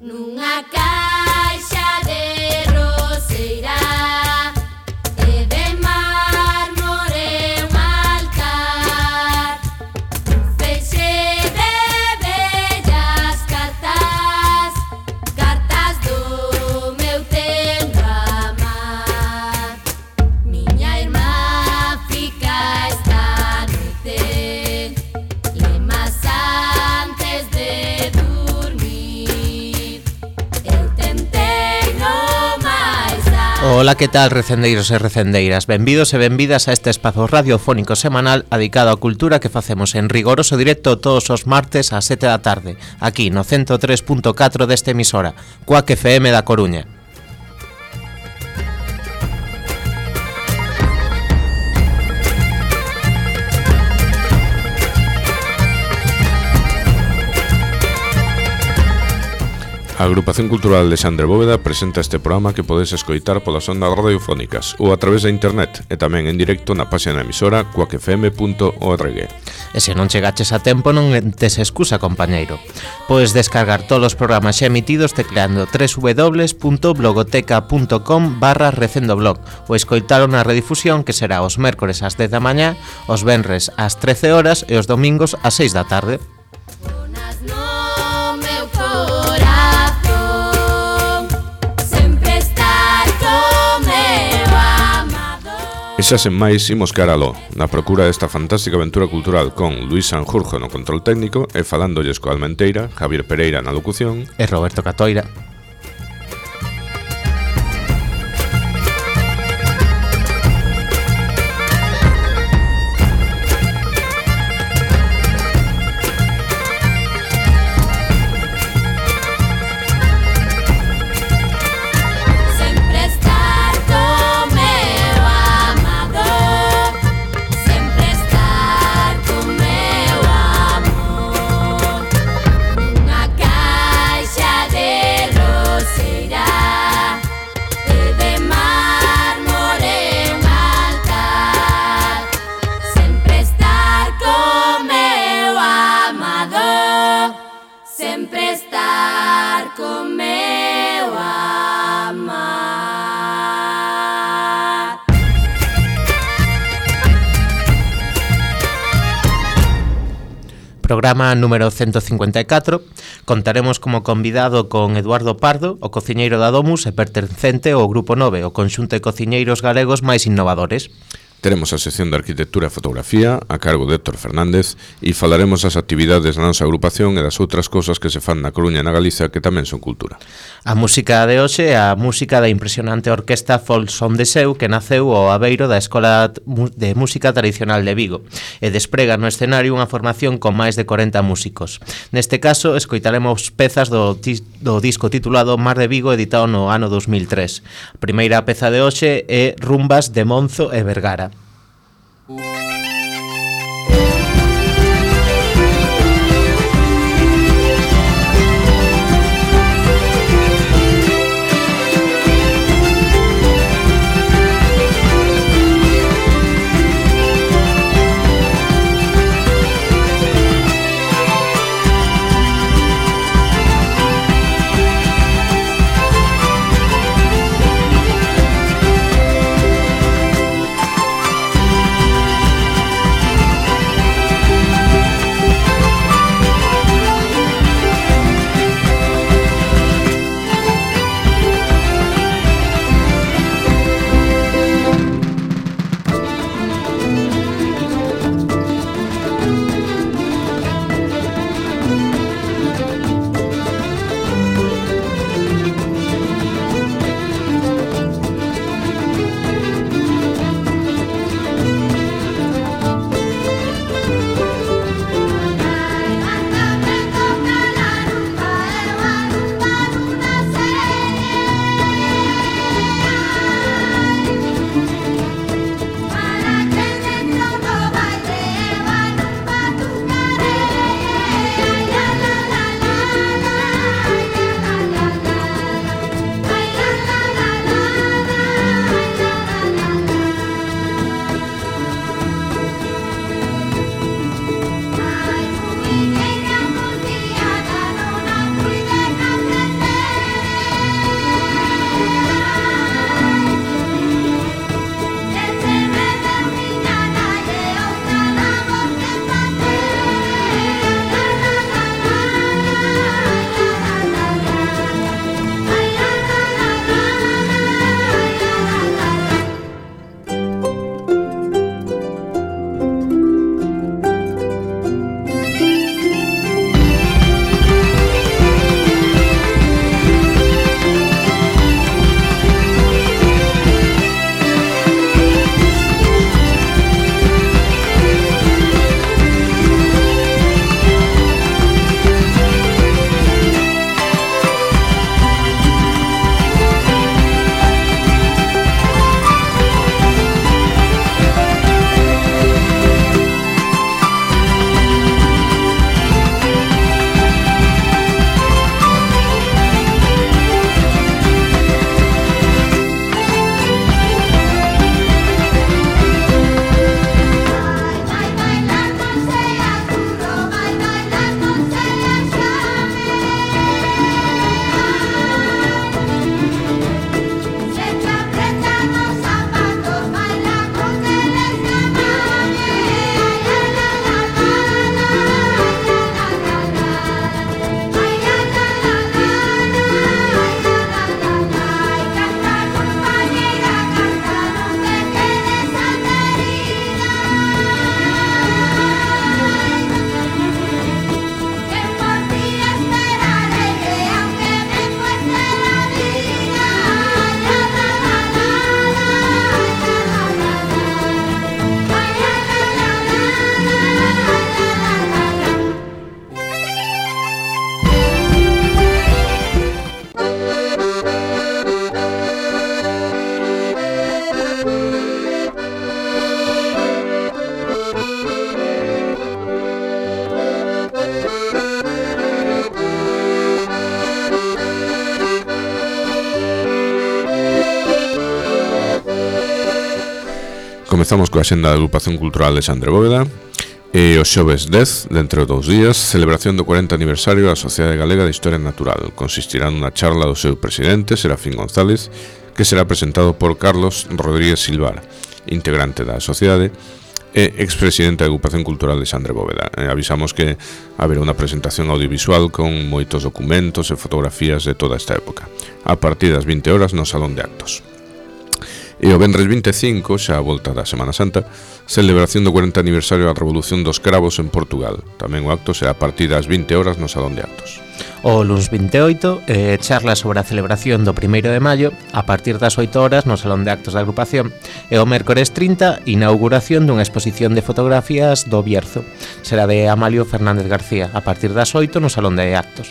nunha caixa de roseira e de mármore un altar, un feixe de bellas cartas, cartas do meu tempo amar. Miña irmá fica esta noite lemas antes de dormir. Eu tentei no máis alto. Ola, que tal, recendeiros e recendeiras? Benvidos e benvidas a este espazo radiofónico semanal dedicado á cultura que facemos en rigoroso directo todos os martes ás 7 da tarde, aquí no 103.4 desta emisora, Cuac FM da Coruña. A Agrupación Cultural Alexandre Bóveda presenta este programa que podes escoitar polas ondas radiofónicas ou a través da internet e tamén en directo na página da emisora cuacfm.org. E se non chegaches a tempo non tes excusa, compañeiro. Podes descargar todos os programas xa emitidos tecleando www.blogoteca.com/recendoblog ou escoitalo na redifusión que será os mércores ás 10 da mañá, os venres ás 13 horas e os domingos ás 6 da tarde. Zonas no meu corazón, sempre estar co meu amado. E xa sen máis, imos caralo, na procura desta fantástica aventura cultural con Luís Sanjurjo no control técnico e falándolles coa Almenteira, Javier Pereira na locución E Roberto Catoira. Sempre estar co meu amado, sempre estar co meu amor, nunha caixa de roseira e de mármore un altar, sempre estar co meu amado, sempre estar co meu amar. Programa número 154. Contaremos como convidado con Eduardo Pardo, o cociñeiro da Domus e pertencente ao Grupo 9, o conxunto de cociñeiros galegos máis innovadores. Teremos a sección de Arquitectura e Fotografía a cargo de Héctor Fernández e falaremos das actividades da nosa agrupación e das outras cousas que se fan na Coruña e na Galiza que tamén son cultura. A música de hoxe é a música da impresionante orquesta Folsom de Seu que naceu ao abeiro da Escola de Música Tradicional de Vigo e desprega no escenario unha formación con máis de 40 músicos. Neste caso, escoitaremos pezas do disco titulado Mar de Vigo, editado no ano 2003. A primeira peza de hoxe é Rumbas de Monzo e Vergara. comezamos coa xenda da Agrupación Cultural de Xandre Bóveda. E o xoves 10, dentro de 2 días, celebración do 40 aniversario da Sociedade Galega de Historia Natural. Consistirá nunha charla do seu presidente, Serafín González, que será presentado por Carlos Rodríguez Silvar, integrante da sociedade e expresidente da Agrupación Cultural de Xandre Bóveda. Avisamos que haberá unha presentación audiovisual con moitos documentos e fotografías de toda esta época, a partir das 20 horas no Salón de Actos. E o venres 25, xa a volta da Semana Santa, celebración do 40 aniversario da Revolución dos Cravos en Portugal. Tamén o acto será a partir das 20 horas no Salón de Actos. O luns 28, charla sobre a celebración do 1º de maio a partir das 8 horas no Salón de Actos da agrupación. E o mércores 30, inauguración dunha exposición de fotografías do Bierzo. Será de Amalio Fernández García a partir das 8 no Salón de Actos.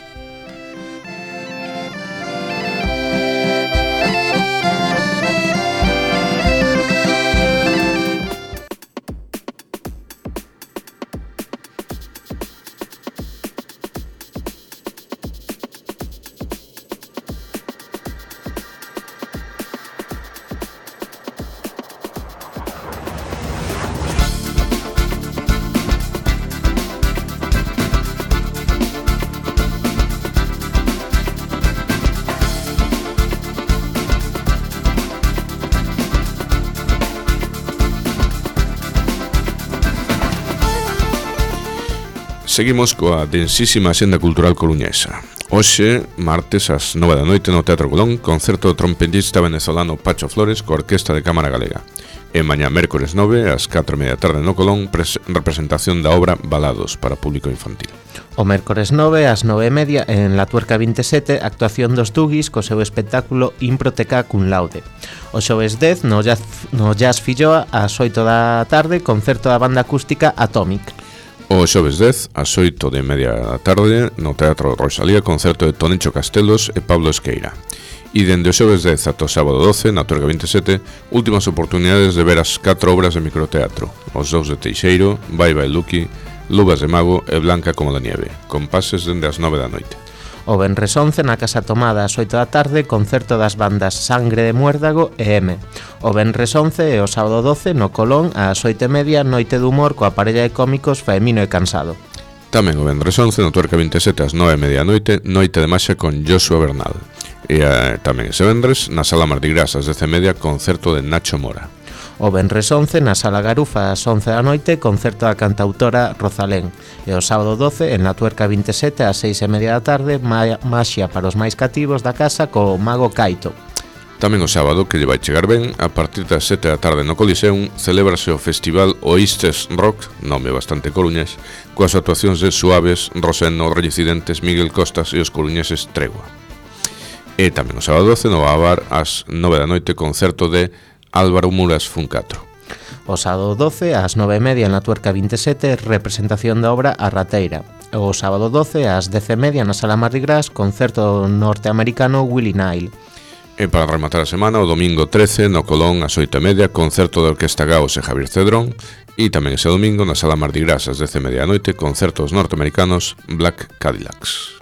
Seguimos coa densísima xenda cultural coruñesa. Hoxe, martes, ás 9 da noite no Teatro Colón, concerto do trompetista venezolano Pacho Flores coa Orquesta de Cámara Galega. E mañá, mércores 9, ás 4:30 da tarde no Colón, representación da obra Balados para público infantil. O mércores 9, ás 9:30, en La Tuerca 27, actuación dos Tugis co seu espectáculo Improteca cum laude. O xoves 10, no Jazz Filloa, ás 8 da tarde, concerto da banda acústica Atomic. O xoves 10, ás 8:30 da tarde, no Teatro Rosalía, concerto de Tonicho Castelos e Pablo Esqueira. E dende o xoves 10 ata o sábado 12, na Tuerca 27, últimas oportunidades de ver as 4 obras de microteatro: Os dous de Teixeiro, Bye Bye Lucky, Luvas de Mago e Blanca como la nieve, con pases dende as 9 da noite. O venres 11, na Casa Tomada, ás 8 da tarde, concerto das bandas Sangre de Muérdago e M. O venres 11 e o sábado 12, no Colón, ás 8:30, Noite de Humor coa parella de cómicos Faemino e Cansado. Tamén o venres 11, no Tuerca 27, ás 9:30 da noite, Noite de Maxia con Joshua Bernal. E tamén ese venres, na Sala Mardi Gras, ás 10:30, concerto de Nacho Mora. O venres 11, na Sala Garufa, ás 11 da noite, concerto da cantautora Rosalén. E o sábado 12, en La Tuerca 27, ás 6:30 da tarde, Maxia para os máis cativos da casa co Mago Caito. Tamén o sábado, que lle vai chegar ben, a partir das 7 da tarde no Coliseum, celébrase o Festival Oístes Rock, nome bastante coruñés, coas actuacións de Suaves, Rosendo, Reincidentes, Miguel Costas e os coruñeses Tregua. E tamén o sábado 12, no Babar, ás 9 da noite, concerto de Álvaro Muras Funcatro. O sábado 12, ás 9:30, en La Tuerca 27, representación da obra A Rateira. O sábado 12, ás 10:30, na Sala Mardi Gras, concerto norteamericano Willie Nile. E para rematar a semana, o domingo 13, no Colón, ás 8:30, concerto da Orquesta Gaos e Javier Cedrón. E tamén ese domingo, na Sala Mardi Gras, ás 10:30 da noite, concertos norteamericanos Black Cadillacs.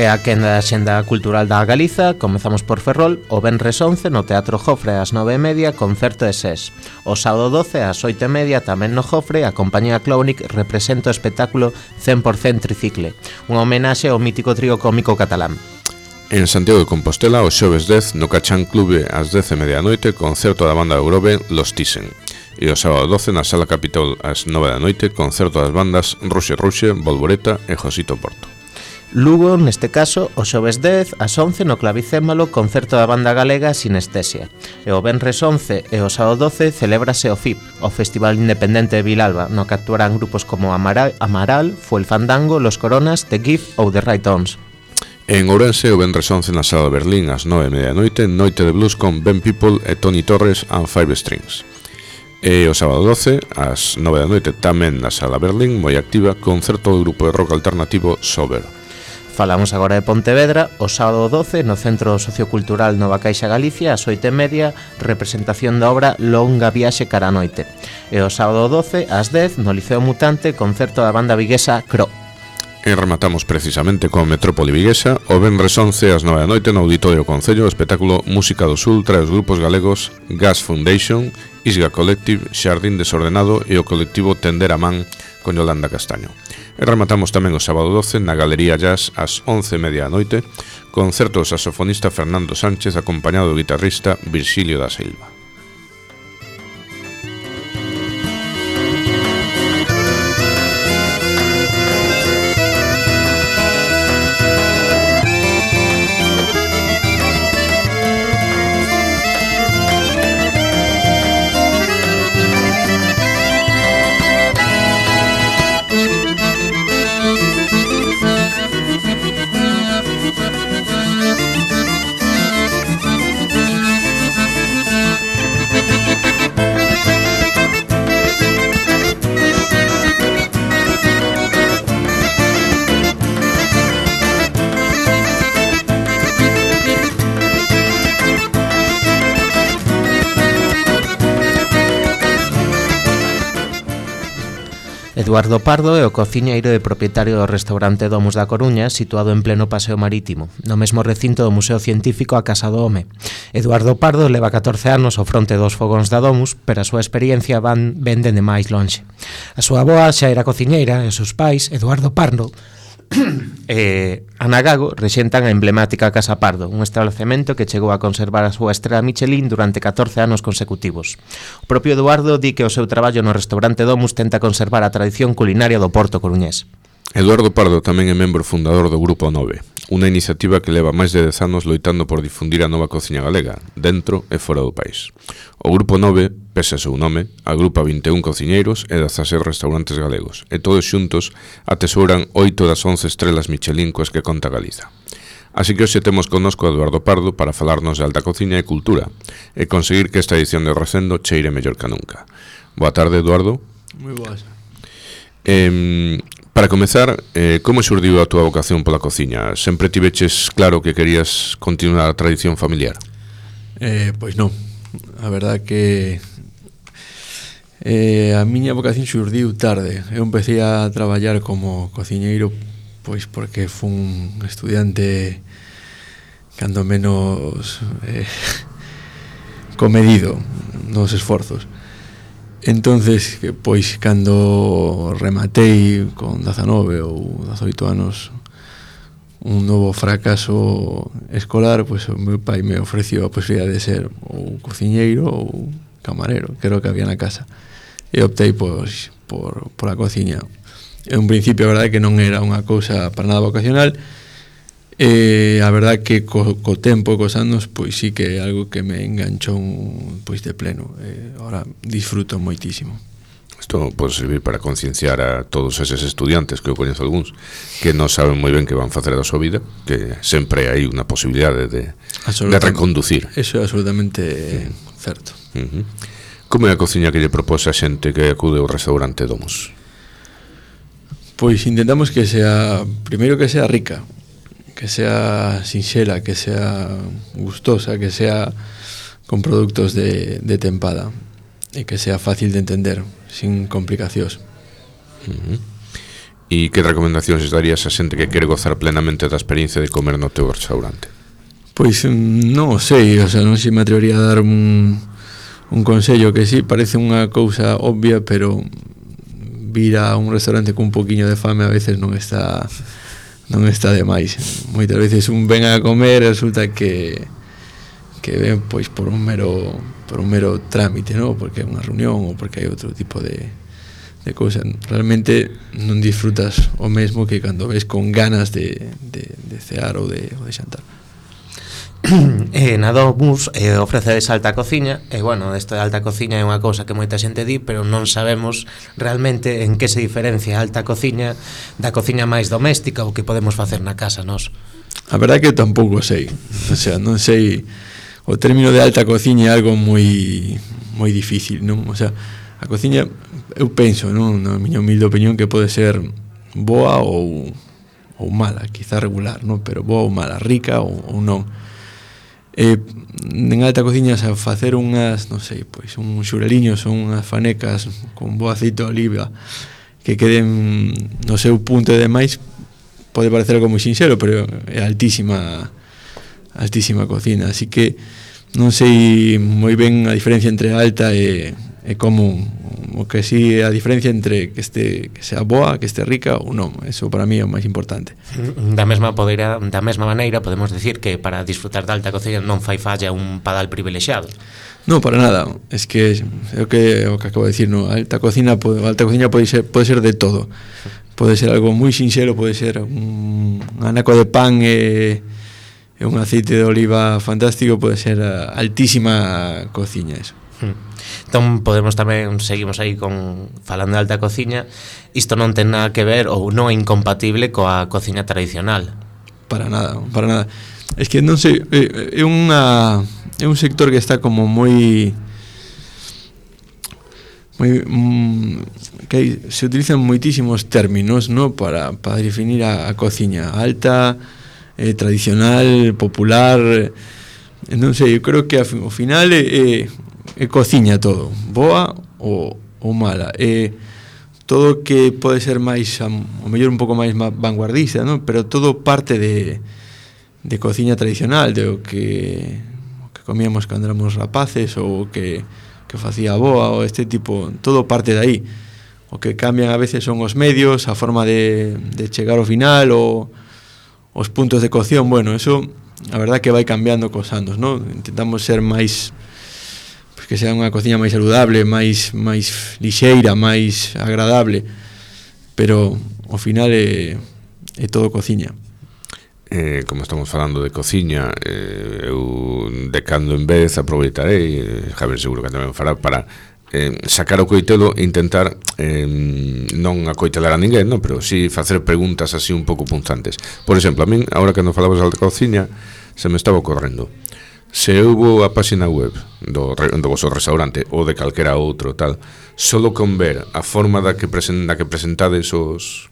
E a quenda da xenda cultural da Galiza, comezamos por Ferrol, o venres 11 no Teatro Jofre ás 9:30, concerto de SES. O sábado 12 ás 8:30, tamén no Jofre, a compañía Clownic representa o espectáculo 100% Tricicle, unha homenaxe ao mítico trío cómico catalán. En Santiago de Compostela, o xoves 10, no Cachán Clube ás 10:30 da noite, concerto da banda de Grove Los Thyssen. E o sábado 12, na Sala Capitol ás 9 da noite, concerto das bandas Ruxe Ruxe, Volvoreta e Josito Porto. Lugo, neste caso, o xoves 10, ás 11 no Clavicémbalo, concerto da banda galega Sinestesia. E o venres 11 e o sábado 12 celébrase o FIP, o Festival Independente de Vilalba, no que actuarán grupos como Amaral, Fuel Fandango, Los Coronas, The Gift ou The Right Ons. En Ourense, o venres 11 na Sala Berlín ás 9:30 da noite, Noite de Blues con Ben People e Tony Torres and Five Strings. E o sábado 12, ás 9 da noite, tamén na Sala Berlín, moi activa, concerto do grupo de rock alternativo Sober. Falamos agora de Pontevedra, o sábado 12, no Centro Sociocultural Nova Caixa Galicia, ás 8:30, representación da obra Longa Viaxe cara a noite. E o sábado 12, ás 10, no Liceo Mutante, concerto da banda viguesa Cro. E rematamos precisamente con Metrópoli Viguesa, o venres 11 ás 9 da noite no Auditorio Concello, o espectáculo Música dos Ultra e os grupos galegos Gas Foundation, Isga Collective, Xardín Desordenado e o colectivo Tender a Man con Yolanda Castaño. E rematamos tamén o sábado 12 na Galería Jazz ás 11:30 da noite, concerto do saxofonista Fernando Sánchez acompañado do guitarrista Virxilio da Silva. Eduardo Pardo é o cociñeiro e propietario do restaurante Domus da Coruña, situado en pleno paseo marítimo, no mesmo recinto do Museo Científico A Casa do Home. Eduardo Pardo leva 14 anos ao fronte dos fogóns da Domus, pero a súa experiencia ven dende máis lonxe. A súa avoa xa era cociñeira e os seus pais, Eduardo Pardo e Ana Gago, rexentan a emblemática Casa Pardo, un establecemento que chegou a conservar a súa estrela Michelin durante 14 anos consecutivos. O propio Eduardo di que o seu traballo no restaurante Domus tenta conservar a tradición culinaria do Porto coruñés. Eduardo Pardo tamén é membro fundador do Grupo 9, unha iniciativa que leva máis de 10 anos loitando por difundir a nova cociña galega, dentro e fora do país. O Grupo 9, pese a seu nome, agrupa 21 cociñeiros e 16 restaurantes galegos, e todos xuntos atesouran 8 das 11 estrelas Michelin coas que conta Galiza. Así que hoxe temos connosco a Eduardo Pardo para falarnos de alta cociña e cultura, e conseguir que esta edición de Recendo cheire mellor que nunca. Boa tarde, Eduardo. Moi boas. Para comezar, como xurdiu a túa vocación pola cociña? Sempre tiveches claro que querías continuar a tradición familiar? Pois non. A verdad que a miña vocación xurdiu tarde. Eu empecé a traballar como cociñeiro pois porque fun estudiante cando menos comedido nos esforzos. Entonces, pois, cando rematei con 19 ou 18 anos un novo fracaso escolar, pois o meu pai me ofreció a posibilidade de ser ou cociñeiro ou camarero, que era o que había na casa. E optei, pois, por a cociña. En un principio, a verdade, que non era unha cousa para nada vocacional, e a verdade que co tempo, cos anos, pois sí que é algo que me enganchou pois de pleno. Ahora disfruto moitísimo. Isto pode servir para concienciar a todos eses estudiantes, que eu coñezo algúns, que non saben moi ben que van facer da súa vida, que sempre hai unha posibilidade de reconducir. Eso é absolutamente certo. Como é a cociña que lle propose a xente que acude ao restaurante Domus? Pois intentamos que sea, primeiro que sea rica, que sea sinxela, que sea gustosa, que sea con produtos de tempada e que sea fácil de entender, sin complicacións. E que recomendacións darías a xente que quere gozar plenamente da experiencia de comer no teu restaurante? Pois non o sei, o sea, non se me atrevería a dar un consello que sí, parece unha cousa obvia, pero vir a un restaurante con un poquinho de fame a veces non está de máis. Moitas veces un ven a comer e resulta que ven pois por un mero trámite, ¿no? Porque é unha reunión ou porque hai outro tipo de cousa. Realmente non disfrutas o mesmo que cando ves con ganas de cear ou de xantar. Na Domus ofrecedes alta cociña e bueno, esta alta cociña é unha cousa que moita xente di, pero non sabemos realmente en que se diferencia a alta cociña da cociña máis doméstica ou que podemos facer na casa nós. A verdade que tampouco sei, o sea, non sei, o término de alta cociña é algo moi difícil, non? O sea, a cociña, eu penso, non, na miña humilde opinión, que pode ser boa ou mala, quizá regular, non? Pero boa ou mala, rica ou non. En alta cociña, a facer unhas, non sei, pois uns xureliños ou unhas fanecas con bo aceite de oliva que queden no seu punto e demais, pode parecer algo moi sinxelo, pero é altísima cocina, así que non sei moi ben a diferencia entre alta e común, o que si a diferencia entre que sea boa, que este rica ou non. Eso para mí é o máis importante. Da mesma maneira podemos decir que para disfrutar da alta cociña non fai falla un padal privilexiado. Non, para nada. Es que é o que acabo de decir, no? A alta cociña pode ser de todo. Pode ser algo moi sinxelo, pode ser un anaco de pan e un aceite de oliva fantástico, pode ser altísima cociña eso. Entón seguimos aí falando de alta cociña. Isto non ten nada que ver ou non é incompatible coa cociña tradicional. Para nada. Es que non sei, é un sector que está como que se utilizan moitísimos términos, ¿no? para definir a cociña alta, tradicional, popular. Non sei, eu creo que ao final cociña todo, boa ou mala, todo que pode ser máis, o mellor un pouco máis vanguardista, ¿no? Pero todo parte de cociña tradicional, de o que comíamos cando éramos rapaces, ou que facía a boa, ou este tipo, todo parte de aí. O que cambian a veces son os medios, a forma de chegar ao final, ou os puntos de cocción. Bueno, eso a verdad que vai cambiando cos anos, ¿no? Intentamos ser máis, pues, que sea unha cociña máis saludable, máis lixeira, máis agradable, pero ao final é todo cociña. Como estamos falando de cociña, eu de cando en vez aproveitarei, Javier seguro que tamén fará, para sacar o coitelo e intentar non acoitelar a ninguén, non? Pero si facer preguntas así un pouco punzantes. Por exemplo, a min, agora que non falamos de cociña, se me estaba ocorrendo, se eu vou a página web do vosso restaurante ou de calquera outro tal, solo con ver a forma da que presentades os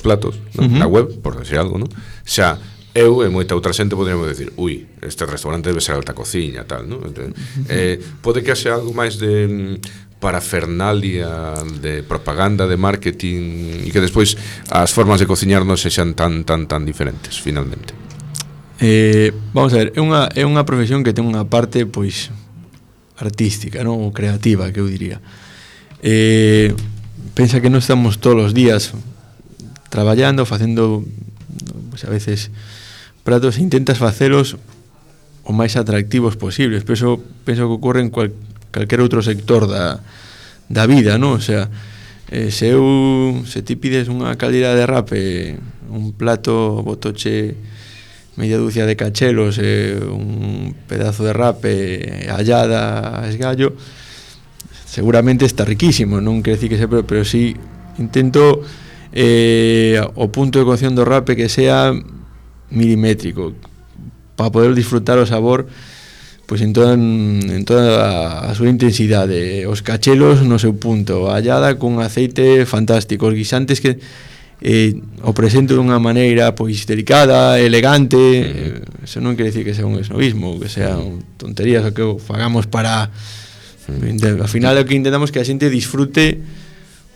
platos, non? Na web, por decir algo, non? Xa eu e moita outra xente poderíamos decir, ui, este restaurante debe ser alta cociña, tal, non? Pode que haxe algo máis de parafernalia, de propaganda, de marketing, e que despois as formas de cociñar non sexan tan diferentes, finalmente. Vamos a ver, é unha profesión que ten unha parte, pois, artística, non? Ou creativa, que eu diría. Pensa que non estamos todos os días traballando, facendo, pues, a veces pratos, e intentas facelos o máis atractivos posibles. Penso que ocorre en calquer outro sector da vida, non? O sea, se ti pides unha caldeira de rape, un plato botoche media dúcia de cachelos, un pedazo de rape, hallada a esgallo, seguramente está riquísimo, non quere dicir que sempre, pero sí intento o punto de cocción do rape que sea milimétrico, para poder disfrutar o sabor, pois en toda a súa intensidade, os cachelos no seu punto, a hallada cun aceite fantástico, os guisantes que o presento dunha maneira pois delicada, elegante. Eso non quere dicir que sea un esnovismo, que sea tonterías, o que fagamos para ao final o que intentamos que a xente disfrute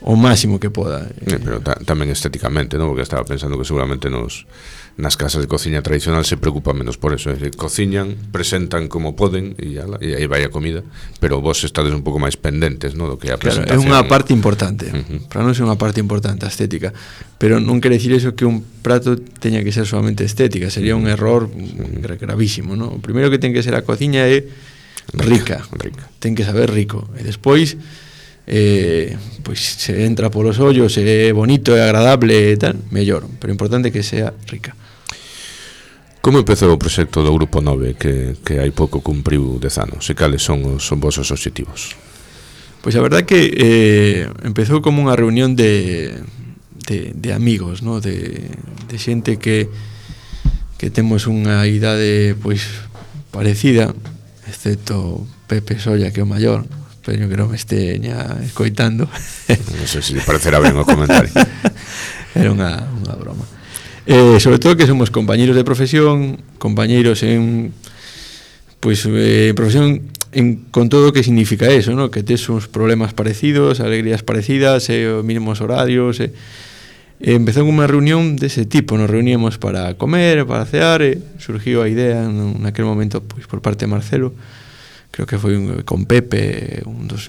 o máximo que poda. Pero tamén estéticamente, non? Porque estaba pensando que seguramente nas casas de cociña tradicional se preocupan menos por eso, es decir, cociñan, presentan como poden e aí vai a comida, pero vos estades un pouco máis pendentes, non? Do que a presentación. Claro, é unha parte importante. Para nós é unha parte importante a estética, pero non quere dicir eso que un prato teña que ser solamente estética, sería un error gravísimo, non? O primeiro que ten que ser a cociña é rica. Ten que saber rico, e despois pois se entra polos ollos, é bonito, é agradable e tal, mellor, pero importante que sea rica. Como empezou o proxecto do Grupo 9 que hai pouco cumpriu 10 anos e cales son os vosos obxectivos? Pois a verdad que empezou como unha reunión de amigos, ¿no? de xente que temos unha idade pois parecida, excepto Pepe Solla, que é o maior. Espero que non me esteña escoitando. Non sei se lle parecerá ben o comentario. Era unha broma. Sobre todo que somos compañeiros de profesión, compañeiros en profesión con todo o que significa eso, ¿no? Que tes uns problemas parecidos, alegrías parecidas, os mínimos horarios. Empezou unha reunión dese tipo, nos reuníamos para comer, para cear, surgiu a idea naquele momento pois por parte de Marcelo, creo que foi con Pepe, un dos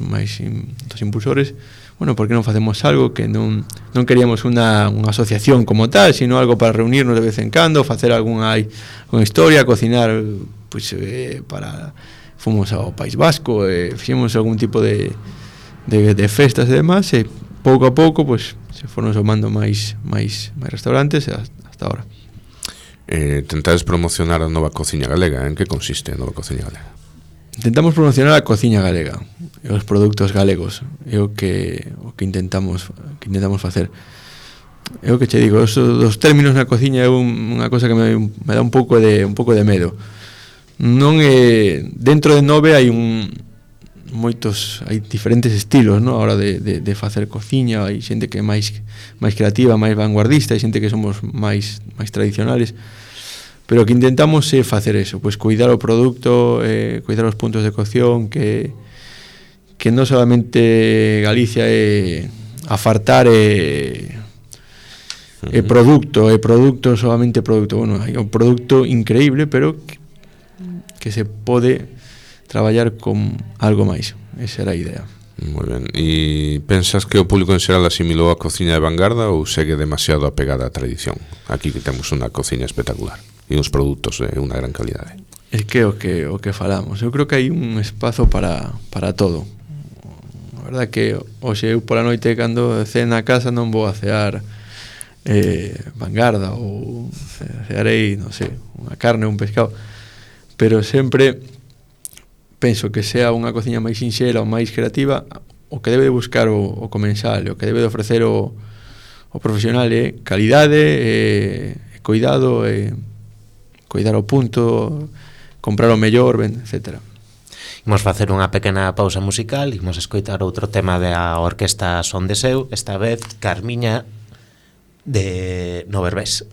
impulsores. Bueno, por que non facemos algo que non queríamos unha asociación como tal, sino algo para reunirnos de vez en cando, facer algunha historia, cocinar, pois fomos ao País Vasco, fixemos algún tipo de festas e demás, e pouco a pouco pois se foron somando máis restaurantes hasta ahora. Tentades promocionar a nova cociña galega. En que consiste a nova cociña galega? Intentamos promocionar a cociña galega e os produtos galegos. É o que intentamos facer. É o que che digo, os términos na cociña é unha cosa que me dá un pouco de medo. Non é dentro de 9 hai diferentes estilos, ¿no? A hora de facer cociña, hai xente que é máis creativa, máis vanguardista, hai xente que somos máis tradicionales. Pero o que intentamos é facer eso, pois cuidar o produto, cuidar os puntos de cocción, que non solamente Galicia é afartar produto, solamente produto. Bueno, hai un produto increíble, pero que se pode traballar con algo máis. Esa era a idea. Moi ben. E pensas que o público en xeral asimilou a cociña de vanguarda ou segue demasiado apegada á tradición? Aquí que temos unha cociña espectacular e uns produtos de unha gran calidade. É que o que falamos. Eu creo que hai un espazo para todo. A verdade que hoxe eu pola noite cando cena a casa non vou a cear vanguarda ou cearei, non sei, unha carne ou un pescado, pero sempre penso que sea unha cociña máis sinxela ou máis creativa, o que debe de buscar o comensal, o que debe de ofrecer o profesional é calidade, cuidado, cuidar o punto, comprar o mellor, etc. Imos facer unha pequena pausa musical, imos escoitar outro tema da orquesta Son de Seu, esta vez Carmiña de No Berbés.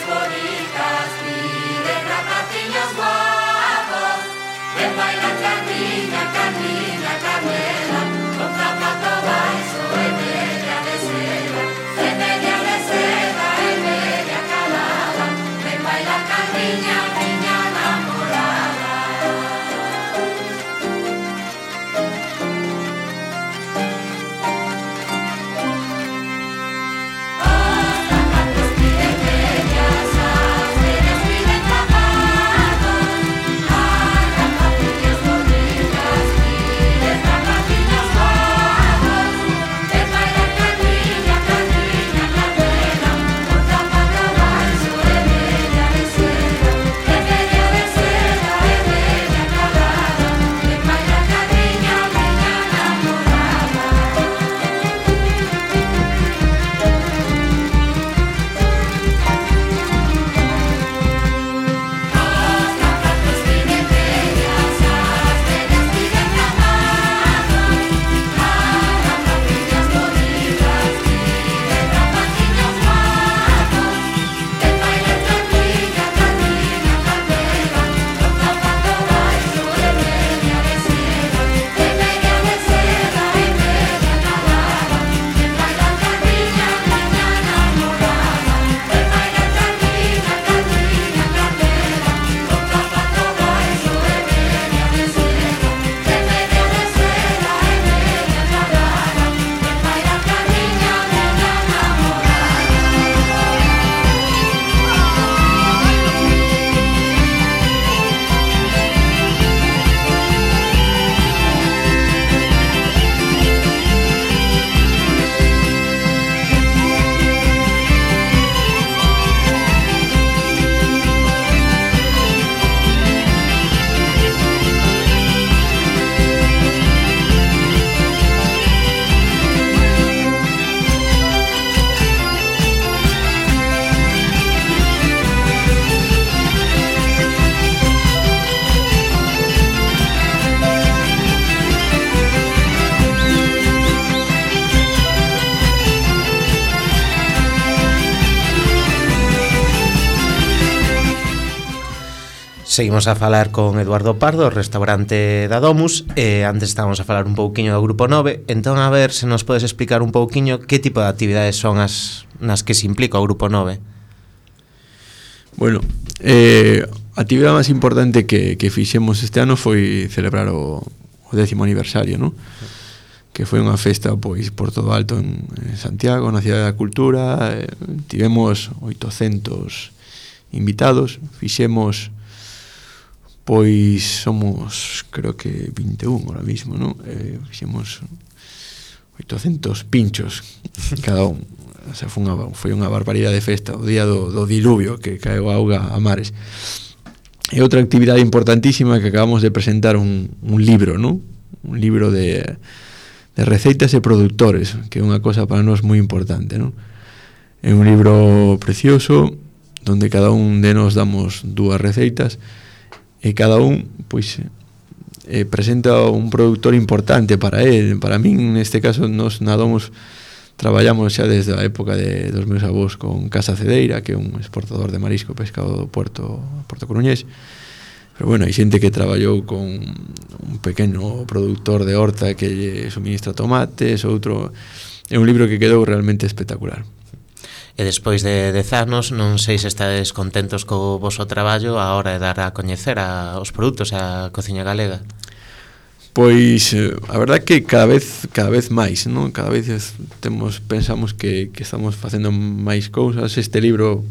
Bonitas, Seguimos a falar con Eduardo Pardo, restaurante da Domus, antes estábamos a falar un pouquiño do Grupo 9, entón a ver se nos podes explicar un pouquiño que tipo de actividades son as nas que se implica o Grupo 9. Bueno, a actividade máis importante que fixemos este ano foi celebrar o 10º aniversario, non? Que foi unha festa pois por todo alto en Santiago, na Cidade da Cultura. Tivemos 800 invitados, fixemos pois somos creo que 21 ahora mismo, non? Fixemos 800 pinchos cada un. O sea, foi unha barbaridade de festa o día do diluvio que caeu auga a mares. E outra actividade importantísima que acabamos de presentar un libro, non? Un libro de receitas e produtores, que é unha cosa para nós moi importante, non? É un libro precioso donde cada un de nós damos 2 receitas e cada un pois presenta un productor importante para él. Para min, neste caso, nos nadamos traballamos xa desde a época dos meus avós con Casa Cedeira, que é un exportador de marisco e pescado do Porto Coruñés. Pero bueno, hai xente que traballou con un pequeno productor de horta que lle suministra tomates, outro. É un libro que quedou realmente espectacular. E despois de 10 anos, non sei se estades contentos co voso traballo a hora de dar a coñecer os produtos a cociña galega. Pois a verdad que cada vez máis, non? Cada vez pensamos que estamos facendo máis cousas. Este libro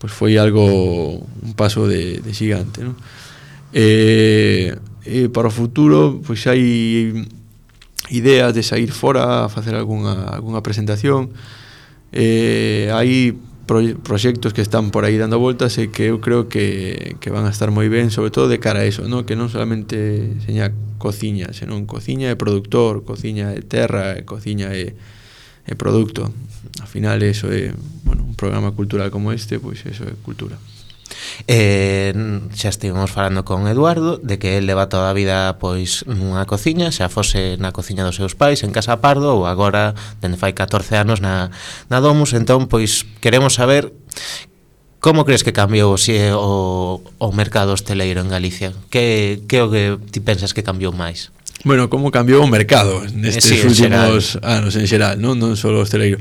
pois foi algo, un paso de xigante, non? E para o futuro pois hai ideas de sair fora a facer algunha presentación. Hai proxectos que están por aí dando voltas e que eu creo que van a estar moi ben, sobre todo de cara a eso, ¿no? Que non solamente seña cociña, senón cociña e productor, cociña e terra, cociña e produto. Al final eso é, bueno, un programa cultural como este, pois eso é cultura. Xa estivemos falando con Eduardo de que el leva toda a vida pois nunha cociña, xa fose na cociña dos seus pais en Casa Pardo ou agora dende fai 14 anos na Domus. Entón pois queremos saber como crees que cambiou o mercado hosteleiro en Galicia. Que o que ti pensas que cambiou máis? Bueno, como cambiou o mercado nestes últimos anos en xeral, non só o hosteleiro.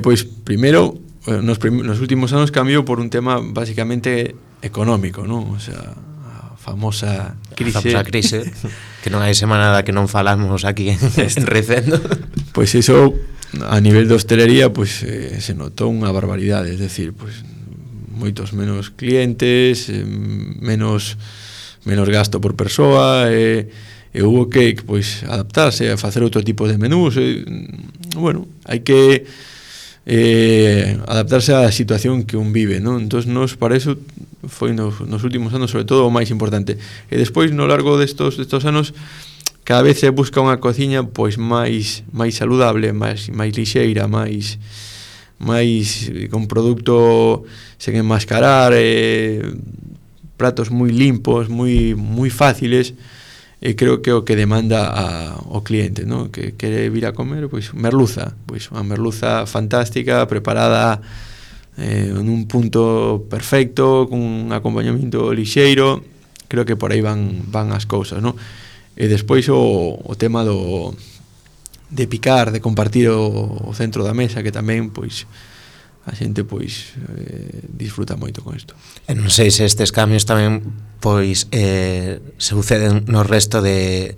Pois primeiro nos últimos anos cambiou por un tema basicamente económico, non? O sea, a famosa crise que non hai semana da que non falamos aquí en Recendo. Pois iso a nivel de hostelería pois se notou unha barbaridade, es decir, pois moitos menos clientes, menos gasto por persoa, e hubo que pois adaptarse a facer outro tipo de menús. Bueno, hai que adaptarse á situación que un vive, non? Entón, nos para eso foi nos últimos anos sobre todo o máis importante. E despois, no largo destos anos, cada vez se busca unha cociña pois máis saludable, máis lixeira, máis con produto sen enmascarar, pratos moi limpos, moi fáciles. E creo que o que demanda o cliente, ¿no? Que quere vir a comer, pois merluza, pois unha merluza fantástica, preparada en un punto perfecto, con un acompañamento lixeiro. Creo que por aí van as cousas, ¿no? E despois o tema de picar, de compartir o centro da mesa, que tamén pois a xente pois disfruta moito con isto. E non sei se estes cambios tamén pois suceden no resto de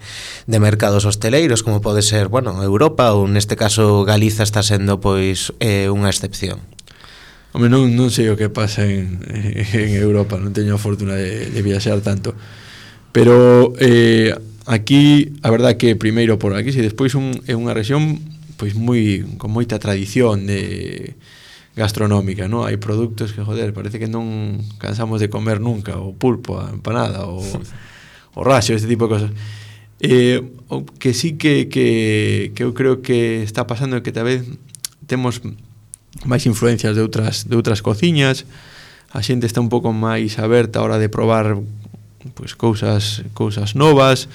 mercados hosteleiros, como pode ser, bueno, Europa, ou neste caso Galiza está sendo pois unha excepción. Home, non sei o que pasa en Europa, non teño a fortuna de viaxar tanto, pero aquí, a verdad que primeiro por aquí, e despois é unha rexión pois con moita tradición gastronómica, ¿no? Hai produtos que, joder, parece que non cansamos de comer nunca, o pulpo, a empanada, o raxo, este tipo de cosas. O que sí que eu creo que está pasando é que tal vez temos máis influencias de outras cociñas, a xente está un pouco máis aberta a hora de probar pois cousas novas,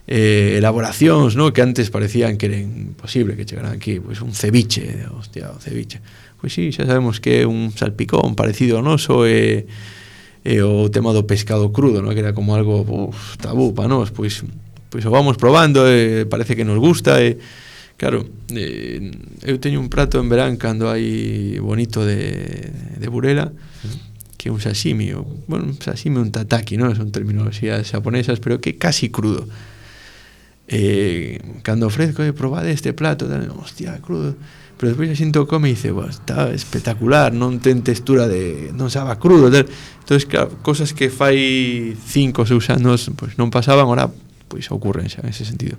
elaboracións, ¿no? Que antes parecían que era imposible que chegaran aquí, pois un ceviche, hostia, o ceviche. Pois sí, xa sabemos que é un salpicón parecido ao noso, e e o tema do pescado crudo, no? Que era como algo tabú para nós, pois o vamos probando e parece que nos gusta e claro, eu teño un prato en verán cando hai bonito de Burela, que é un sashimi, un sashimi, un tataki, non? Son terminoloxías xaponesas, pero que é casi crudo. Cando ofrezco, probade este plato, hostia, crudo, pero despois a xinto come e dice, está espectacular, non ten textura non sabe crudo, tal. Entonces, claro, cosas que fai 5 ou 6 anos pois non pasaban, ahora pois ocurren xa en ese sentido.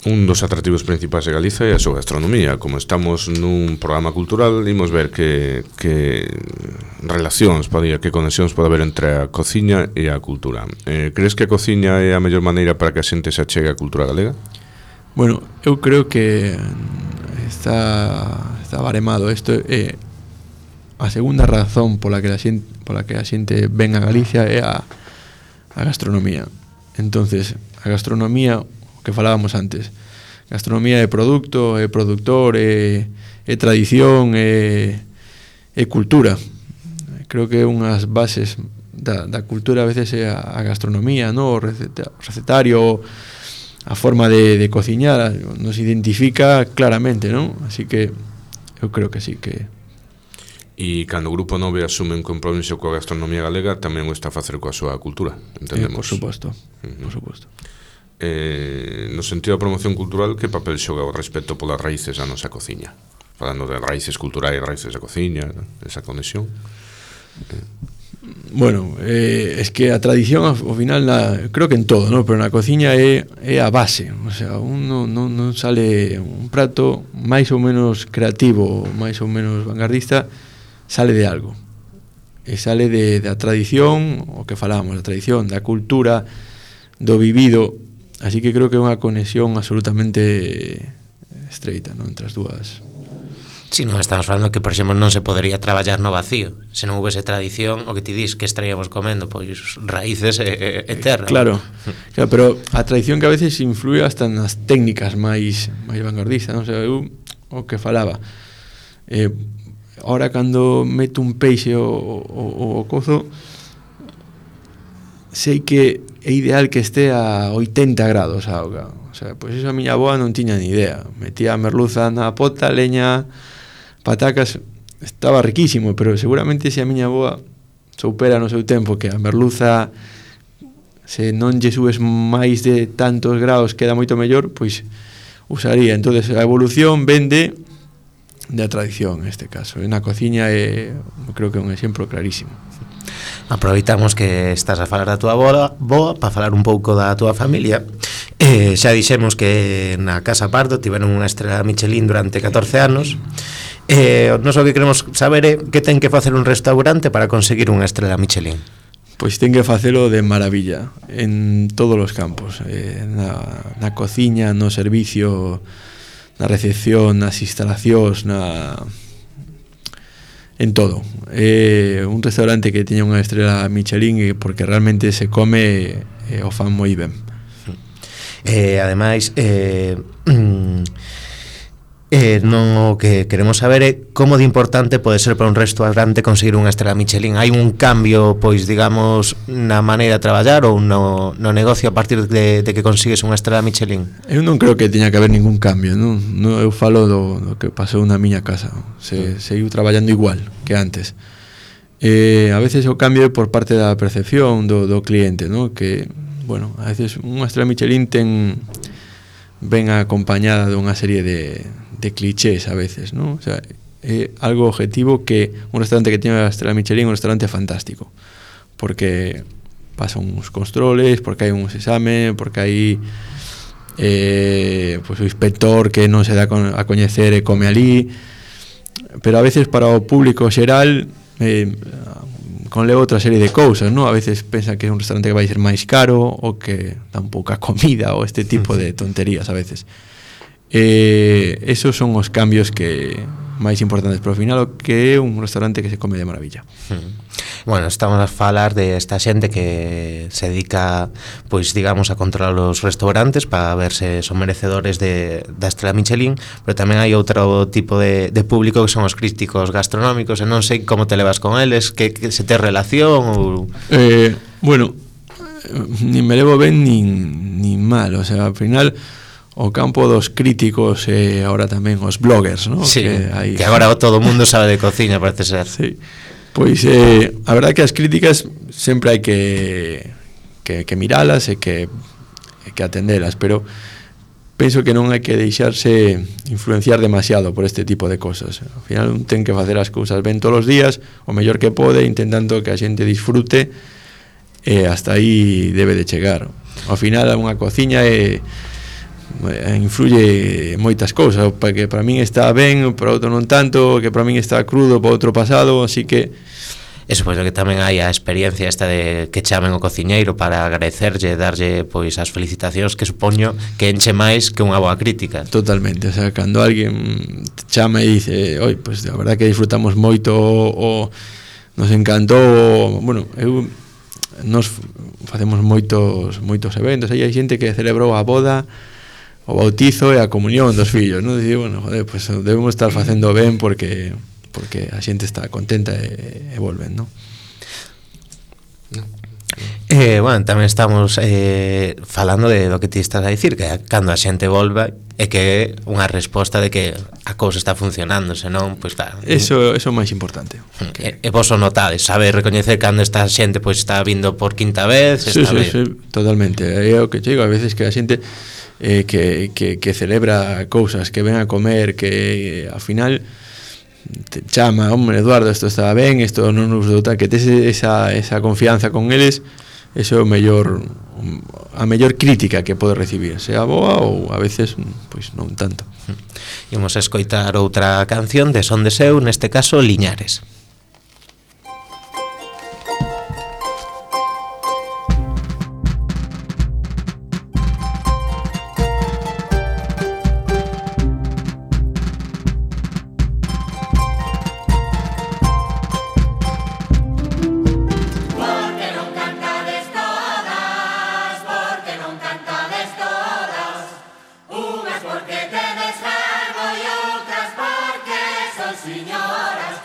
Un dos atractivos principais de Galiza é a súa gastronomía. Como estamos nun programa cultural, imos ver que relacións que conexións pode haber entre a cociña e a cultura. Crees que a cociña é a mellor maneira para que a xente se achegue á cultura galega? Bueno, eu creo que está baremado. Isto é a segunda razón pola que a xente ven a Galicia é a gastronomía. Entonces, a gastronomía, o que falábamos antes, gastronomía é produto, é produtor, é tradición, é cultura. Creo que unhas bases da cultura a veces é a gastronomía, no? O recetario, a forma de cociñar nos identifica claramente, non? Así que eu creo que sí que... E cando o Grupo 9 asume un compromiso coa gastronomía galega, tamén o está a facer coa súa cultura, entendemos? Por suposto, por suposto. No sentido da promoción cultural, que papel xoga o respeto polas raíces da nosa cociña? Falando de raíces culturais, raíces da cociña, esa conexión. Bueno, es que a tradición ao final creo que en todo, ¿no? Pero na cociña é a base, o sea, non sale un prato máis ou menos creativo, máis ou menos vanguardista, sale de algo. E sale da tradición, o que falábamos, da tradición, da cultura, do vivido. Así que creo que é unha conexión absolutamente estreita, ¿no? Entre as dúas. Si non estamos falando que, por exemplo, non se podería traballar no vacío. Se non houvese tradición, o que ti dis, que estaríamos comendo, pois raíces e terra. Claro, pero a tradición que a veces influe hasta nas técnicas máis vanguardistas, non? O sea, eu o que falaba, ahora cando meto un peixe o cozo, sei que é ideal que este a 80 grados a auga. O sea, pois iso a miña avoa non tiña ni idea. Metía a merluza na pota, leña, patacas, estaba riquísimo, pero seguramente se a miña avoa soupera no seu tempo que a merluza, se non lle subes máis de tantos grados queda moito mellor, pois usaría. Entonces a evolución vende da tradición neste caso. Na cociña creo que é un exemplo clarísimo. Aproveitamos que estás a falar da túa boa para falar un pouco da túa familia. Xa dixemos que na Casa Pardo tiveron unha estrela Michelin durante 14 anos. Nos o que queremos saber é que ten que facer un restaurante para conseguir unha estrela Michelin. Pois ten que facelo de maravilla en todos os campos, na cociña, no servicio, na recepción, nas instalacións, en todo. Un restaurante que teña unha estrela Michelin porque realmente se come o fan moi ben. Ademais, non o que queremos saber é como de importante pode ser para un restaurante conseguir unha estrela Michelin. Hai un cambio, pois, digamos, na maneira de traballar ou no negocio a partir de que consigues unha estrela Michelin? Eu non creo que teña que haber ningún cambio, non? Eu falo do que pasou na miña casa. Seguiu traballando igual que antes. A veces o cambio é por parte da percepción do cliente, non? Que, bueno, a veces unha estrela Michelin ven acompañada dunha serie de clichés a veces, ¿no? O sea, é algo objetivo que un restaurante que tiene a estrela Michelin é un restaurante fantástico, porque pasan uns controles, porque hai uns examen, porque hai pues, o inspector que non se dá a coñecer e come ali, pero a veces para o público xeral conleva outra serie de cousas, ¿no? A veces pensa que é un restaurante que vai ser máis caro ou que dan pouca comida ou este tipo de tonterías a veces. Esos son os cambios que máis importantes, pero ao final o que é un restaurante que se come de maravilla. Bueno, estamos a falar de esta xente que se dedica, pois digamos, a controlar os restaurantes para ver se son merecedores da estrela Michelin, pero tamén hai outro tipo de público que son os críticos gastronómicos, e non sei como te levas con eles, que se te relación ou... Bueno, nin me levo ben nin mal, o sea, ao final o campo dos críticos e agora tamén os bloggers, ¿no? Sí, que agora todo o mundo sabe de cociña, parece ser. Sí. Pois a verdade que as críticas sempre hai que miralas e que atendelas, pero penso que non hai que deixarse influenciar demasiado por este tipo de cosas. Ao final un ten que facer as cousas ben todos os días, o mellor que pode, intentando que a xente disfrute, e hasta aí debe de chegar. Ao final unha cociña influye moitas cousas, que para min está ben, para outro non tanto, que para min está crudo, para outro pasado, así que eso, pois, que tamén hai a experiencia esta de que chamen o cociñeiro para agradecerlle, darlle pois as felicitacións, que supoño que enche máis que unha boa crítica. Totalmente, o sea, cando alguén te chama e dice, oi, pois a verdade que disfrutamos moito, o nos encantou, bueno, nos facemos moitos eventos, aí hai xente que celebrou a boda, o bautizo e a comunión dos fillos, non? Dicir, bueno, joder, pues debemos estar facendo ben porque a xente está contenta e volven, non? Bueno, tamén estamos falando de do que ti estás a dicir, que cando a xente volva é que é unha resposta de que a cousa está funcionando, senón, pois claro. Eso é o máis importante. E vos o notades, sabe recoñecer cando esta xente pois está vindo por quinta vez, sí, totalmente. É o que digo, a veces que a xente que celebra cousas, que ven a comer, que ao final te chama, hombre, Eduardo, isto está ben, isto non nos douta, que tes esa confianza con eles, eso é a mellor crítica que pode recibir, sea boa ou a veces pois non tanto. Imos a escoitar outra canción de Son de Seu, neste caso Liñares. Porque te descargo y otras porque son señoras.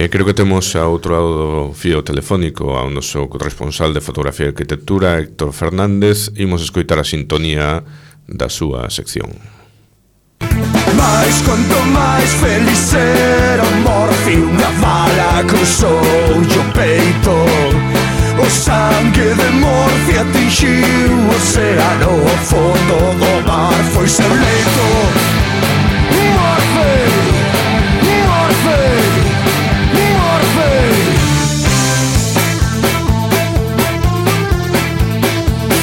Creo que temos a outro lado do fío telefónico ao noso corresponsal de fotografía e arquitectura, Héctor Fernández. Imos escoitar a sintonía da súa sección. Mais quanto máis feliz era o Morphy, unha bala cruzou o peito. O sangue de Morphy atingiu o océano, o fondo do mar foi seu leito. Morphy, Morphy, Morphy.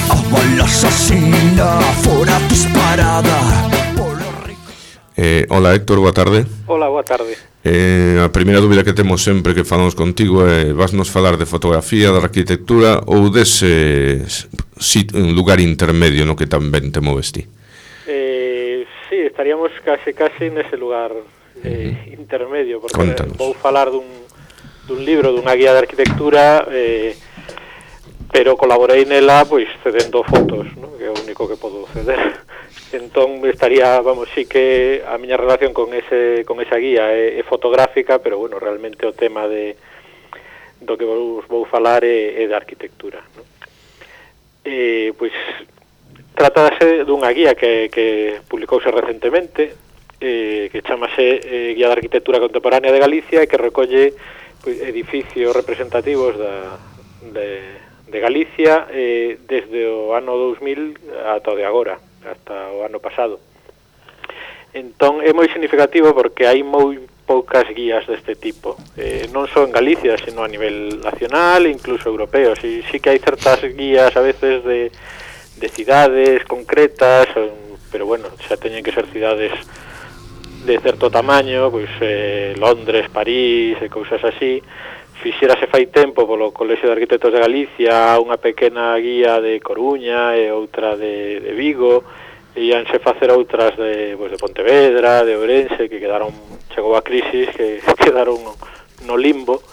A bala asasina fora disparada. Hola Héctor, boa tarde. Hola, boa tarde. A primeira dúbida que temos sempre que falamos contigo é vasnos falar de fotografía, de arquitectura ou dese lugar intermedio no que tamén te moves ti? Sí, estaríamos case nese lugar intermedio, porque Contanos. vou falar dun libro, dunha guía de arquitectura, pero colaborei nela pois cedendo fotos, ¿no? Que é o único que podo ceder. Entón estaría, vamos, sí que a miña relación con esa guía é fotográfica, pero bueno, realmente o tema do que vou falar é de arquitectura, ¿no? Pois trátase dunha guía que publicouse recentemente, que chamase Guía de Arquitectura Contemporánea de Galicia, e que recolle pois, edificios representativos de Galicia desde o ano 2000 ata o de agora, hasta o ano pasado. Entón é moi significativo porque hai moi poucas guías deste tipo, non só en Galicia, sino a nivel nacional e incluso europeo. Sí que hai certas guías a veces de cidades concretas, pero bueno, xa teñen que ser cidades de certo tamaño, pois Londres, París e cousas así. Fixérase fai tempo polo Colexio de Arquitectos de Galicia unha pequena guía de Coruña e outra de Vigo, e íanse facer outras de Pontevedra, de Ourense, que chegou a crisis, que quedaron no limbo,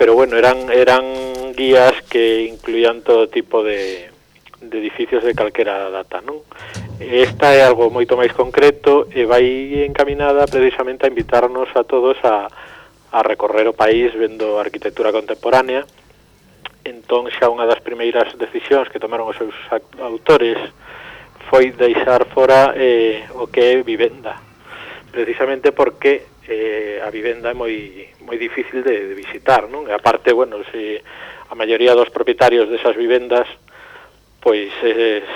pero bueno, eran guías que incluían todo tipo de edificios de calquera data, non? Esta é algo moito máis concreto e vai encaminada precisamente a invitarnos a todos a recorrer o país vendo arquitectura contemporánea. Entón xa unha das primeiras decisións que tomaron os seus autores foi deixar fora o que é vivenda, precisamente porque a vivenda é moi difícil de visitar, non? E aparte, bueno, se a maioría dos propietarios desas vivendas pois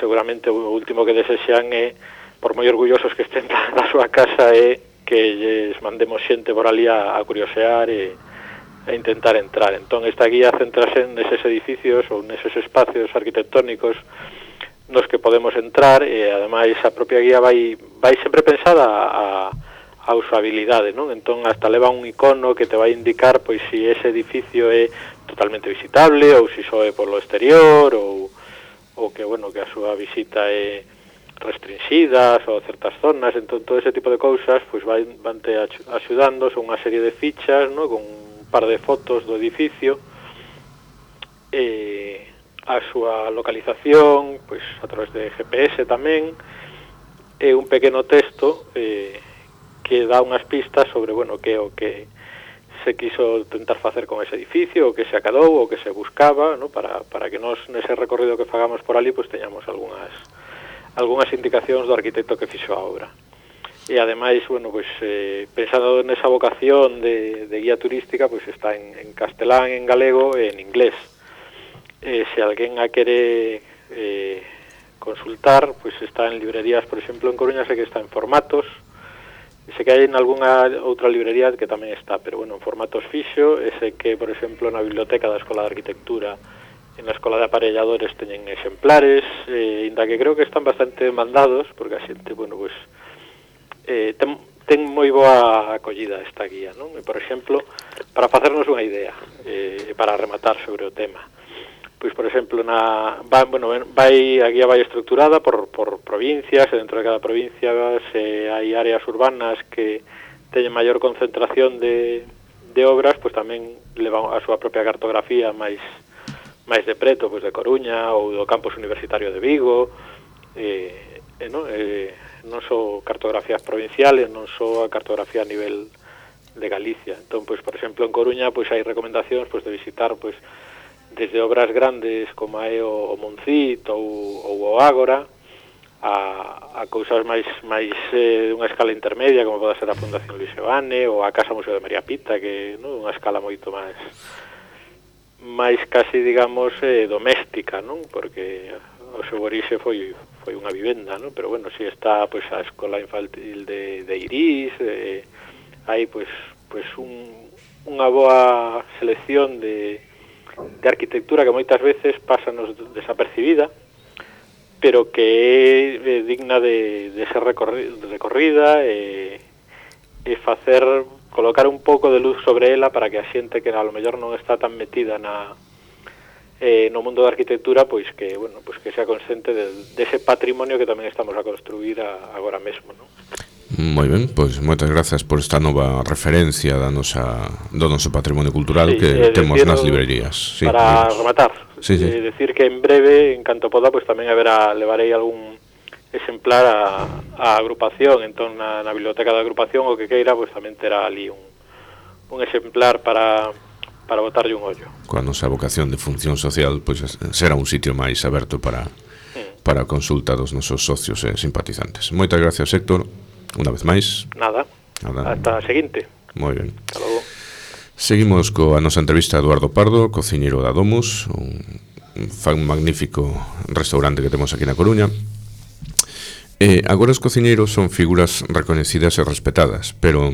seguramente o último que desexan é, por moi orgullosos que estén da súa casa, é que lles mandemos xente por ali a curiosear e intentar entrar. Entón esta guía centrase neses edificios ou neses espacios arquitectónicos nos que podemos entrar, e ademais a propia guía vai sempre pensada a usabilidade, non? Entón hasta leva un icono que te vai indicar pois se ese edificio é totalmente visitable ou se só é polo exterior ou que, bueno, que a súa visita é restringidas ou certas zonas. Entón todo ese tipo de cousas pois vante axudando, son unha serie de fichas, ¿no? Con un par de fotos do edificio, a súa localización pois a través de GPS tamén, e un pequeno texto que dá unhas pistas sobre, bueno, que o que se quiso tentar facer con ese edificio, o que se acadou, o que se buscaba, ¿no? Para que nos nese recorrido que fagamos por ali pois teñamos algunhas indicacións do arquitecto que fixo a obra. E ademais, bueno, pois pensando nesa vocación de guía turística, pois está en castelán, en galego e en inglés. Se alguén a quere consultar, pois está en librerías, por exemplo, en Coruña sei que está en formatos, sei que hai en algunha outra librería que tamén está, pero bueno, en formatos fixo, e sei que, por exemplo, na biblioteca da Escola de Arquitectura, en la Escola de Aparelladores teñen exemplares, inda que creo que están bastante demandados, porque a xente, bueno, pois ten moi boa acollida esta guía, non? E, por exemplo, para facernos unha idea, para rematar sobre o tema, pois, por exemplo, a guía vai estructurada por provincias, e dentro de cada provincia se hai áreas urbanas que teñen maior concentración de obras, pois tamén levan a súa propia cartografía máis de preto, pois de Coruña ou do campus universitario de Vigo, non só cartografías provinciales, non só a cartografía a nivel Galicia. Entón, pois, por exemplo, en Coruña pois hai recomendacións pois de visitar pois desde obras grandes como é o Moncit ou o Ágora a cousas máis dunha escala intermedia como pode ser a Fundación Luis Seoane ou a Casa Museo de María Pita, que non unha escala moito máis casi, digamos, doméstica, non? Porque o seu orixe foi unha vivenda, non? Pero bueno, si está pois a escola infantil de Irís, hai pois unha boa selección de arquitectura que moitas veces pásanos desapercibida, pero que é digna de ser recorrida e colocar un pouco de luz sobre ela para que a xente que a lo mellor non está tan metida no mundo da arquitectura, pois que sea consciente dese patrimonio que tamén estamos a construir agora mesmo, non? Moi ben, pois moitas grazas por esta nova referencia do noso patrimonio cultural que temos nas librerías. Sí, para rematar, decir que en breve, en canto poda, pois tamén levarei algún exemplar a agrupación, entón na biblioteca da agrupación o que queira, pois tamén terá ali un exemplar para botarlle un ollo. Coa nosa vocación de función social, pois será un sitio máis aberto para a consulta dos nosos socios e simpatizantes. Moitas gracias, Héctor, unha vez máis. Nada. Hasta a seguinte. Moi ben. Hasta logo. Seguimos coa nosa entrevista a Eduardo Pardo, cociñeiro da Domus, un magnífico restaurante que temos aquí na Coruña. Agora os cociñeiros son figuras recoñecidas e respetadas, pero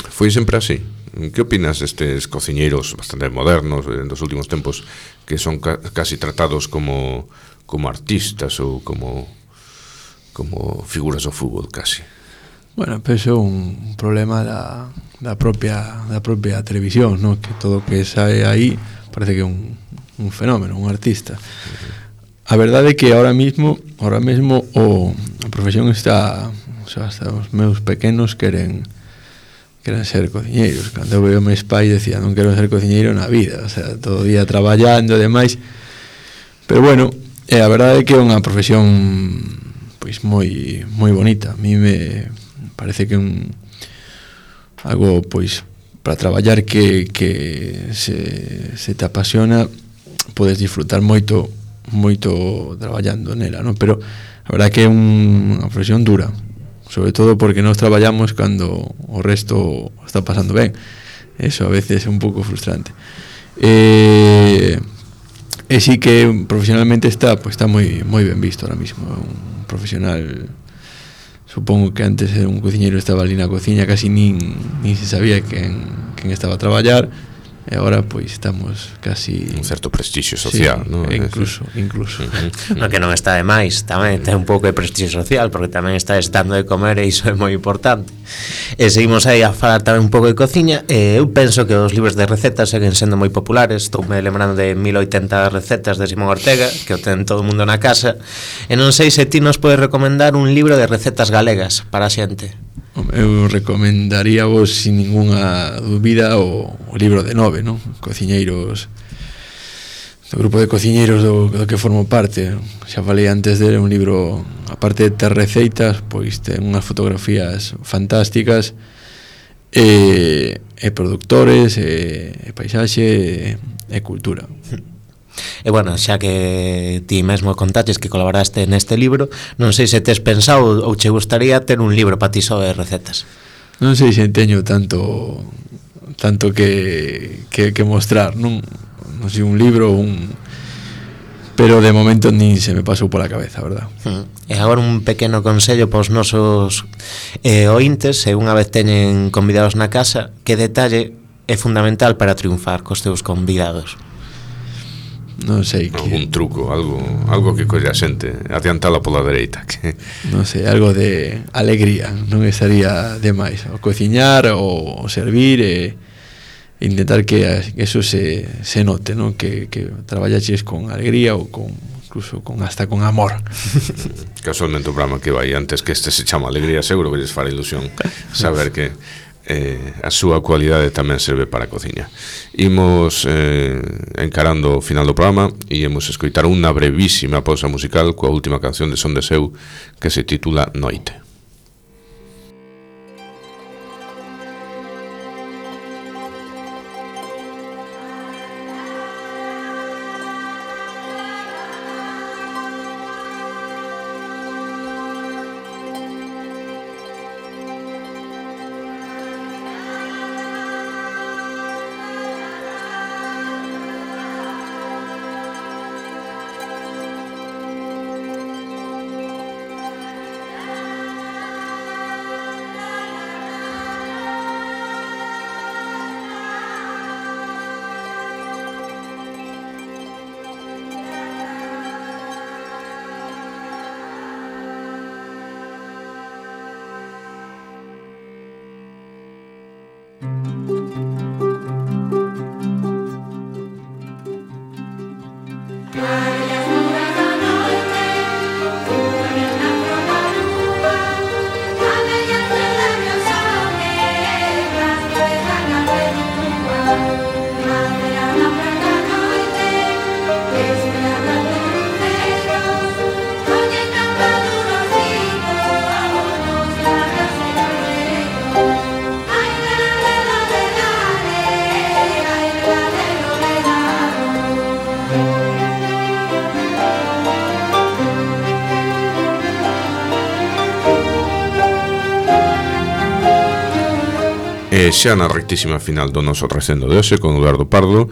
foi sempre así. Que opinas destes cociñeiros bastante modernos dos últimos tempos que son casi tratados como artistas ou como figuras do fútbol casi? Bueno, pero é un problema da propia televisión, ¿no? Que todo o que sae aí parece que é un fenómeno, un artista. A verdade é que ahora mesmo a profesión está, o sea, hasta os meus pequenos queren ser cociñeiros. Cando eu veo meus pais decía, non quero ser cociñeiro na vida, o sea, todo o día traballando e demais. Pero bueno, a verdade é que é unha profesión pois moi bonita. A mí me parece que algo pois para traballar que se te apasiona, podes disfrutar moito traballando nela, non? Pero a verdade que é unha profesión dura, sobre todo porque nós traballamos cando o resto está pasando ben. Eso a veces é un pouco frustrante. E sí que profesionalmente está moi ben visto ahora mismo. Un profesional, supongo que antes un cociñeiro estaba ali na cociña, casi nin se sabía quen estaba a traballar. E agora pois estamos casi un certo prestixio social, ¿no? Incluso. No que non está de máis, tamén ten un pouco de prestixio social, porque tamén está estando de comer e iso é moi importante. E seguimos aí a falar tamén un pouco de cociña. Eu penso que os libros de recetas seguen sendo moi populares. Estou me lembrando de 1080 recetas de Simón Ortega, que o ten todo o mundo na casa. E non sei se ti nos podes recomendar un libro de recetas galegas para a xente. Eu recomendaría vos sin ninguna dúbida o libro de Nove, non? Cociñeiros, do grupo de cociñeiros do que formo parte. Xa falei antes dele, un libro, aparte de ter receitas, pois ten unhas fotografías fantásticas e produtores e paisaxe e cultura. E bueno, xa que ti mesmo contaches que colaboraste neste libro, non sei se tes pensado ou che gustaría ter un libro para ti só de recetas. Non sei se teño tanto que mostrar, non sei, un libro pero de momento nin se me pasou pola cabeza, verdad? E agora un pequeno consello para os nosos ointes, se unha vez teñen convidados na casa, que detalle é fundamental para triunfar cos teus convidados? Non sei que... Algún truco, algo que colle a xente, adiantala pola dereita, que... Non sei, algo de alegría, non estaría demais. O cociñar, o servir e intentar que eso se note, non? Que traballaches con alegría ou incluso hasta con amor. Casualmente o programa que vai antes que este se chama Alegría, seguro que lles fará ilusión saber que a súa cualidade tamén serve para a cociña. Imos encarando o final do programa e imos escoitar unha brevísima pausa musical coa última canción de Son de Seu, que se titula Noite. Xa na rectísima final do noso recendo de hoxe con Eduardo Pardo,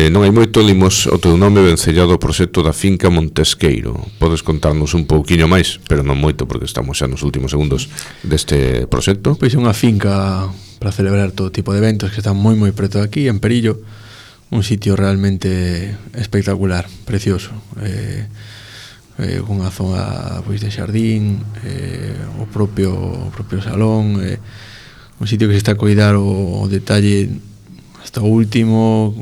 non hai moito limos o teu nome vencellado ao proxecto da finca Montesqueiro. Podes contarnos un pouquiño máis, pero non moito porque estamos xa nos últimos segundos deste proxecto? Pois é unha finca para celebrar todo tipo de eventos que están moi preto de aquí, en Perillo, un sitio realmente espectacular, precioso, unha zona pois de xardín, o propio salón, un sitio que se está a cuidar o detalle hasta o último.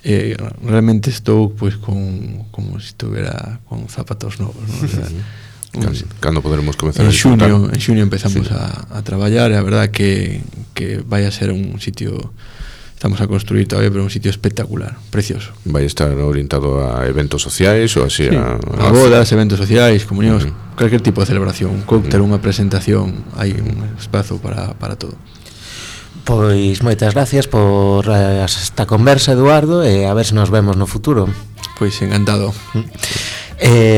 Realmente estou pois como se estuvera con zapatos novos, ¿no? O sea, cando poderemos comezar en xuño empezamos a traballar, e a verdad que vai a ser un sitio, estamos a construir todavía, pero un sitio espectacular, precioso. Vai estar orientado a eventos sociais ou así, sí, a bodas, eventos sociais, comunións, cualquier tipo de celebración, un cóctel, unha presentación, hai un espazo para todo. Pois moitas gracias por esta conversa, Eduardo, e a ver se nos vemos no futuro. Pois encantado.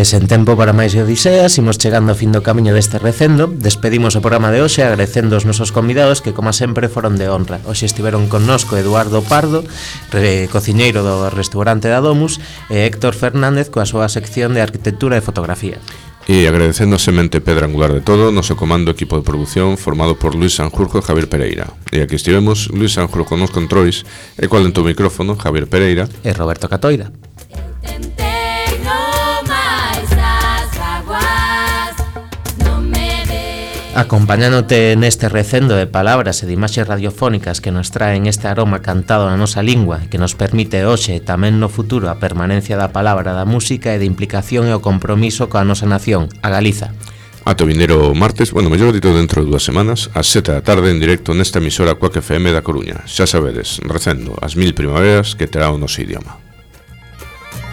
Sen tempo para máis odiseas, imos chegando ao fin do camiño deste recendo. Despedimos o programa de hoxe agradecendo os nosos convidados que, como sempre, foron de honra. Hoxe estiveron connosco Eduardo Pardo, cociñeiro do restaurante da Domus, e Héctor Fernández coa súa sección de arquitectura e fotografía. E agradecendo a semente pedra angular de todo, noso comando equipo de produción formado por Luis Sanjurjo e Javier Pereira. E aquí estivemos Luis Sanjurjo nos controis e cual en tu micrófono Javier Pereira e Roberto Catoira. Acompañándote neste recendo de palabras e de imaxes radiofónicas que nos traen este aroma cantado na nosa lingua, que nos permite hoxe e tamén no futuro a permanencia da palabra, da música e de implicación e o compromiso coa nosa nación, a Galiza. Ata o vindeiro martes, mellor dito dentro de 2 semanas, ás 7 da tarde en directo nesta emisora Cuac FM da Coruña. Xa sabedes, recendo as 1000 primaveras que terá o noso idioma.